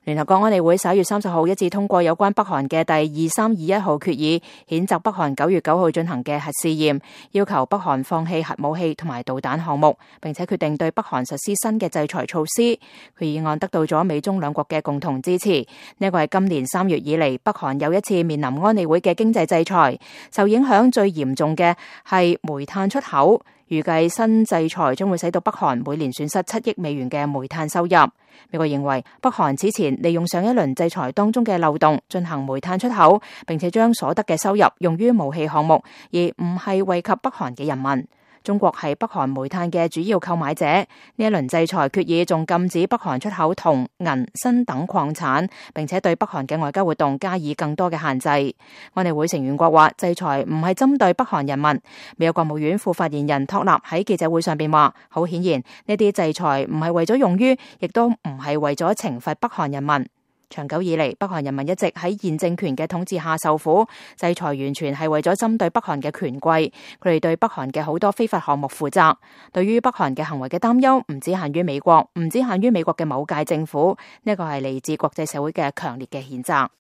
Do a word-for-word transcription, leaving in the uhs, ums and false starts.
聯合國安理會十一月三十號一致通過有關北韓嘅第二三二一號決議，譴責北韓九月九號進行嘅核試驗，要求北韓放棄核武器同埋導彈項目，並且決定對北韓實施新嘅制裁措施。決議案得到咗美中兩國嘅共同支持。呢個係今年三月以嚟北韓又一次面臨安理會嘅經濟制裁，受影響最嚴重嘅係煤炭出口。預計新制裁將會使到北韓每年損失七億美元嘅煤炭收入。美國認為北韓此前利用上一輪制裁當中嘅漏洞進行煤炭出口，並且將所得嘅收入用於武器項目，而唔係惠及北韓嘅人民。中國係北韓煤炭嘅主要購買者，呢一輪制裁決議仲禁止北韓出口銅、銀、鋅等礦產，並且對北韓嘅外交活動加以更多嘅限制。安理會成員國話，制裁唔係針對北韓人民。美國國務院副發言人托納喺記者會上邊話，好顯然呢啲制裁唔係為咗用於，亦都唔係為咗懲罰北韓人民。長久以嚟，北韓人民一直喺現政權嘅統治下受苦，制裁完全係為咗針對北韓嘅權貴，佢哋對北韓嘅好多非法項目負責。對於北韓嘅行為嘅擔憂，唔止限於美國，唔止限於美國嘅某屆政府，呢個係嚟自國際社會嘅強烈嘅譴責。